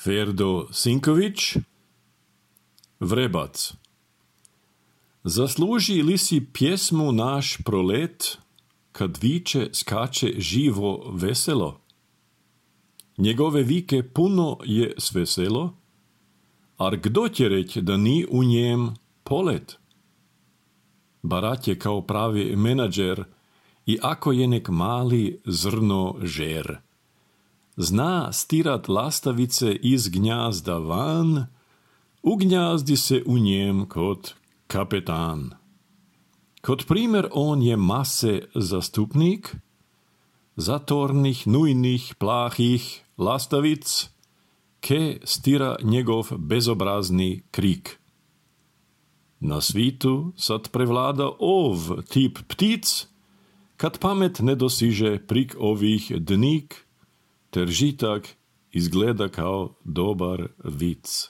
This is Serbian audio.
Ferdo Sinković, Vrebac. Zasluži li si pjesmu naš prolet, kad viče, skače živo veselo? Njegove vike puno je sveselo, ar kdo će reć da ni u njem polet? Barat je kao pravi menadžer i ako je nek mali zrno žer. Zna stirat lastavice iz gnjazda van, ugnjazdi se u njem kot kapetan. Kot primer on je mase zastupnik, zatornih, nujnih, plahih lastavic, ke stira njegov bezobrazni krik. Na svitu sad prevlada ov tip ptic, kad pamet ne dosiže prik ovih dnik, ter žitak izgleda kao dobar vic.